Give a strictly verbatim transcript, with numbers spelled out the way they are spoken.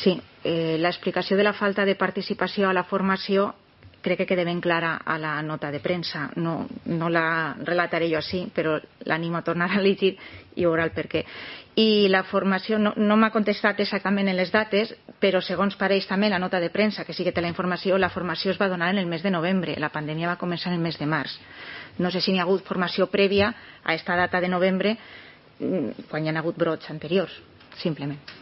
Sí, eh, l'explicació de la falta de participació a la formació crec que queda ben clara a la nota de premsa. No, no la relataré jo així, però l'animo a tornar a llegir i veurà el per què. I la formació no, no m'ha contestat exactament en les dates, però segons pareix també la nota de premsa, que sí que té la informació, la formació es va donar en el mes de novembre. La pandèmia va començar en el mes de març. No sé si n'hi ha hagut formació prèvia a aquesta data de novembre quan hi ha hagut brots anteriors, simplement.